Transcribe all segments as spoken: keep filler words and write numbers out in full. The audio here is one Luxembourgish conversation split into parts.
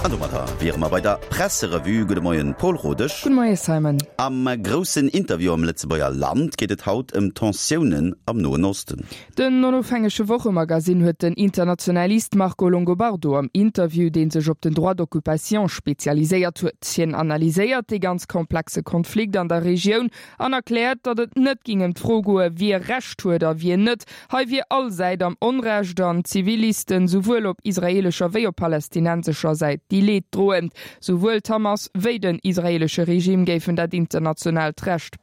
An domadder wiere mer bei der Presserevue. Gudde Moien, Paul Rodesch. Gudde Moie Simon. Am groussen Interview am Lëtzebuerger Land geet et haut ëm d'Tensiounen am Noen Osten. Den onofhängege Wochemagazin huet den Internationalist Marco Longobardo am Interview, dee sech op den Droit d'occupation spezialiséiert huet. Hien analyséiert dee ganz komplexe Konflikt an der Regioun an erkläert, datt et net géing ëm d'Fro goe wie Recht huet a wien net. Hei wier all Säit am Onrecht an d'Zivilisten souwuel op israeelescher wéi op palästinensescher Säit déi Leed droen. Souwuel d'Hamas wéi den israeelesche Regime géifen dat internationaalt Recht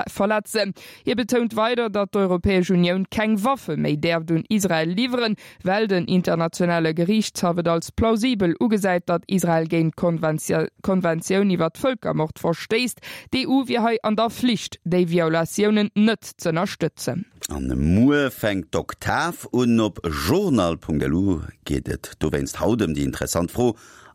verletzen. Hie betount weider, datt d'Europäesch Unioun keng Waffe méi däerft un Israel liwweren, well den internationale Geriichtshaff et als plausibel ugesäit, datt Israel géint d'Konventioun iwwer Vëlkermord verstéisst. D'EU wier hei an der Flicht, déi Violatiounen net z'ënnerstëtzen. An muer fänkt d'Oktav un. Op journal.lu geet et dowéinst haut ëm déi interessant Fro,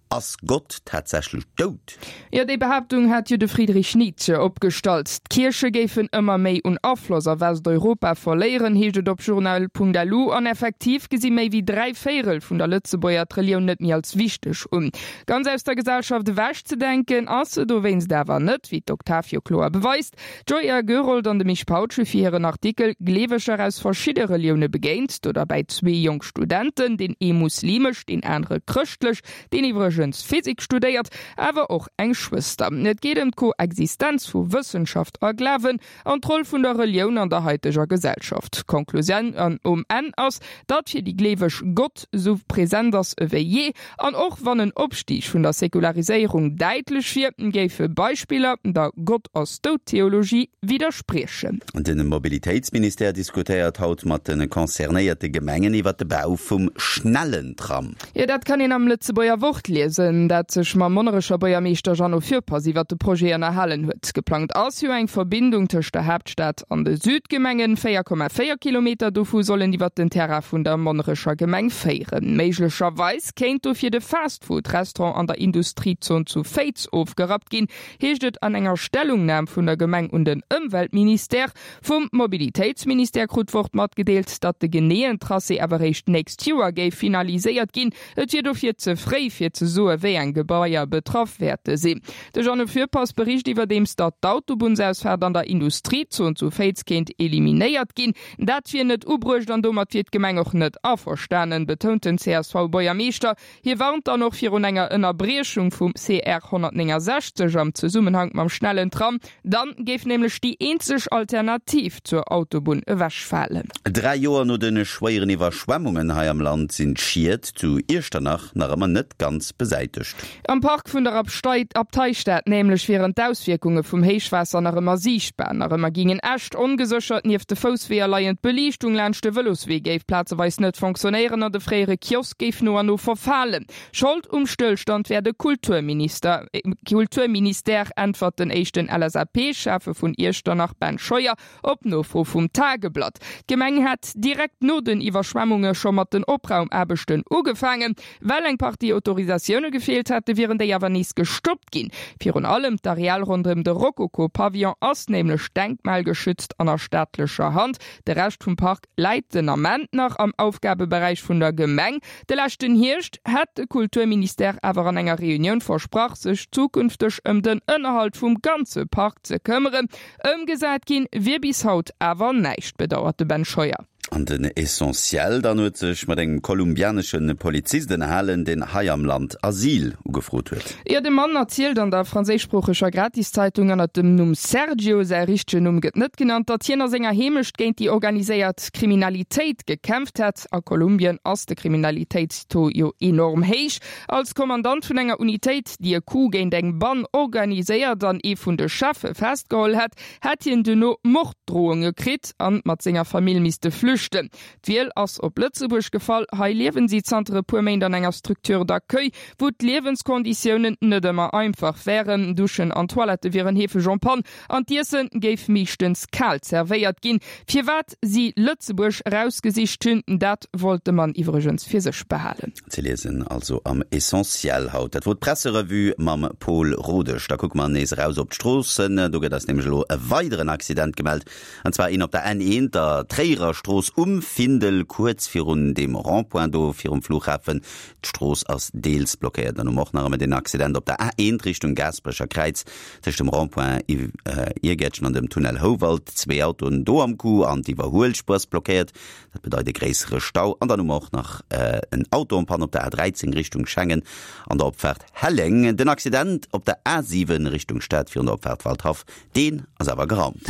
Ass Gott tatsächlech dout? Jo, déi Behaaptung hat jo de Friedrich Nietzsche opgestallt. D'Kierche géifen ëmmer méi un Afloss a Westeuropa verléieren, heescht et op journal.lu. An effektiv gesi méi wéi dräi Véierel vun der Lëtzebuerger d'Relioun net méi als wichteg un. Ganz aus der Gesellschaft ewechzedenken ass se dowéinst awer net, wéi d'Oktav jo kloer beweist. D'Joya Gerold an de Misch Pautsch hu fir hiren Artikel Gleeweger aus verschidde Relioune begéint, do derbäi zwee jonk Studenten, deen ee muslimesch, deen anere chrëschtlech, deen iwwregens Physik studéiert, awer och eng Schwëster. Et geet ëm d'Koexistenz vu Wëssenschaft a Glawen an d'Roll vun der Relioun an der haiteger Gesellschaft. D'Konklusioun um Enn ass, datt fir déi Gleeweg Gott esou present ass ewéi jee, an och wann en Opstig vun der Säkulariséierung däitlech wier, géife Beispiller der Gott-ass-dout-Theologie widderspriechen. De Mobilitéitsministère diskutéiert haut mat de concernéierte Gemengen iwwer de Bau vum schnellen Tram. Jo, dat kann een am Lëtzebuerger Wort liesen, dat sech mam Monnerecher Buergermeeschter Jeannot Fürpass iwwer de Projet ënnerhalen huet. Geplangt ass jo eng Verbindung tëscht der Haaptstad an de Südgemengen. véier Komma véier Kilometer dovu sollen iwwer den Terrain vun der Monnerecher Gemeng féieren. Méiglecherweis kéint dofir de Fast-Food-Restaurant an der Industriezon zu Féiz ofgerappt ginn, heescht et an enger Stellungnam vun der Gemeng un den Ëmweltministère. Vum Mobilitéitsministère krut d'Wort matgedeelt, datt de geneeën Tracé awer réischt d'nächst Joer géif finaliséiert ginn. Et wier dofir ze fréi fir ze soe wéi eng Gebaier betraff wäerte sinn. De Jeannot Fürpass bericht iwwerdeems, datt d'Autobunnsausfaart an der Industriezon zu Féiz kéint eliminéiert ginn. Dat wier net ubruecht an domat wier d'Gemeng och net averstanen, betount den C S V-Buergermeeschter. Hie warnt dann och virun enger Ënnerbriechung vum C R honnertnéngensechzeg am Zesummenhank mam schnellen Tram. Dann géif nämlech déi eenzeg Alternativ zur Autobunn ewechfalen. Dräi Joer no de schwéieren Iwwerschwemmungen hei am Land sinn d'Schied zu Iechternach nach ëmmer net ganz besäitegt. Am Park vun der Abteistad nämlech wieren d'Auswierkunge vum Héichwaasser nach ëmmer siichtbar. Nach ëmmer gingen Äscht ongeséchert nieft de Foussweeër leien, d'Beliichtung laanscht de Vëloswee géif plazeweis net fonctionnéieren an de fréiere Kiosk géif no an no verfalen. Schold um Stëllstand wär de Kulturminister, Kulturministère, äntwert den éischten L S A P-Schäffe vun Iechternach Ben Scheuer op Nofro vum Tageblatt. D'Gemeng hätt direkt no den Iwwerschwemmunge scho mat den Opraumaarbechten ugefaangen. Well eng Partie Autorisatioune gefeelt hätte wieren déi awer nees gestoppt ginn. Virun allem d'Areal ronderëm de Rokoko-Pavillon ass nämlech denkmalgeschützt an a staatlecher Hand. De Rescht vum Park läit den Ament nach am Aufgabeberäich vun der Gemeng. De leschten Hierscht hätt de Kulturministère awer an enger Reunioun versprach, sech zukünfteg ëm den Ënnerhalt vum ganze Park ze këmmeren. Ëmgesat ginn wier bis haut awer näischt, bedauert de Ben Scheuer. An den Essentiel dann huet sech mat engem kolumbianesche Polizist ënnerhalen, deen hei am Land Asyl ugefrot huet. Jo, de Mann erzielt an der franséischsproocheger Gratiszeitung ënnert dem Numm Sergio, säi richtegen Numm gëtt net genannt, datt hien a senger Heemecht géint déi organiséiert Kriminalitéit gekämpft hätt. A Kolumbien ass de Kriminalitéitstaux jo enorm héich. Als Kommandant vun enger Unitéit, déi e Coup géint eng Bann organiséiert an ee vun de Cheffe festgeholl hätt, hätt hien duerno Morddrohunge kritt an mat senger Famill misste flüchten. D'Wiel ass op Lëtzebuerg gefall. Hei liewen si zanter e puer Méint an enger Structure d'accueil, wou d'Liewenskonditiounen net ëmmer einfach wären. Duschen an Toilette wieren heefeg en panne an d'Iesse géif meeschtens kal zerwéiert ginn. Firwat si Lëtzebuerg erausgesicht hunn, dat wollt de Mann iwwregens fir sech behalen. Ze liesen also am Essentiel haut. Dat wor d'Presserevue mam Pol Rodesch. Da kucke mer nees eraus op d'Stroossen. Do gëtt eis nämlech elo e weideren Accident gemellt, an zwar een op der N eent, der Tréierer Strooss. Strooss um Findel, kuerz virun deem Rond-point do virum Flughafen. D'Strooss ass deels blockéiert. Dann hu mer och nach ëmmer den Accident op der A eent Richtung Gaasperecher Kräiz tëscht dem Rond-point Iergäertchen an dem Tunnel Houwald. Zwee Autoen do am Coup an d'Iwwerhuelspuer ass blockéiert. Dat bedeit e gréissere Stau. An dann hu mer och nach en Auto en panne op der A dräizéng Richtung Schengen an der Opfaart Helleng. Den Accident op der A siwen Richtung Stad virun der Opfaart Waldhaff, deen ass awer geraumt.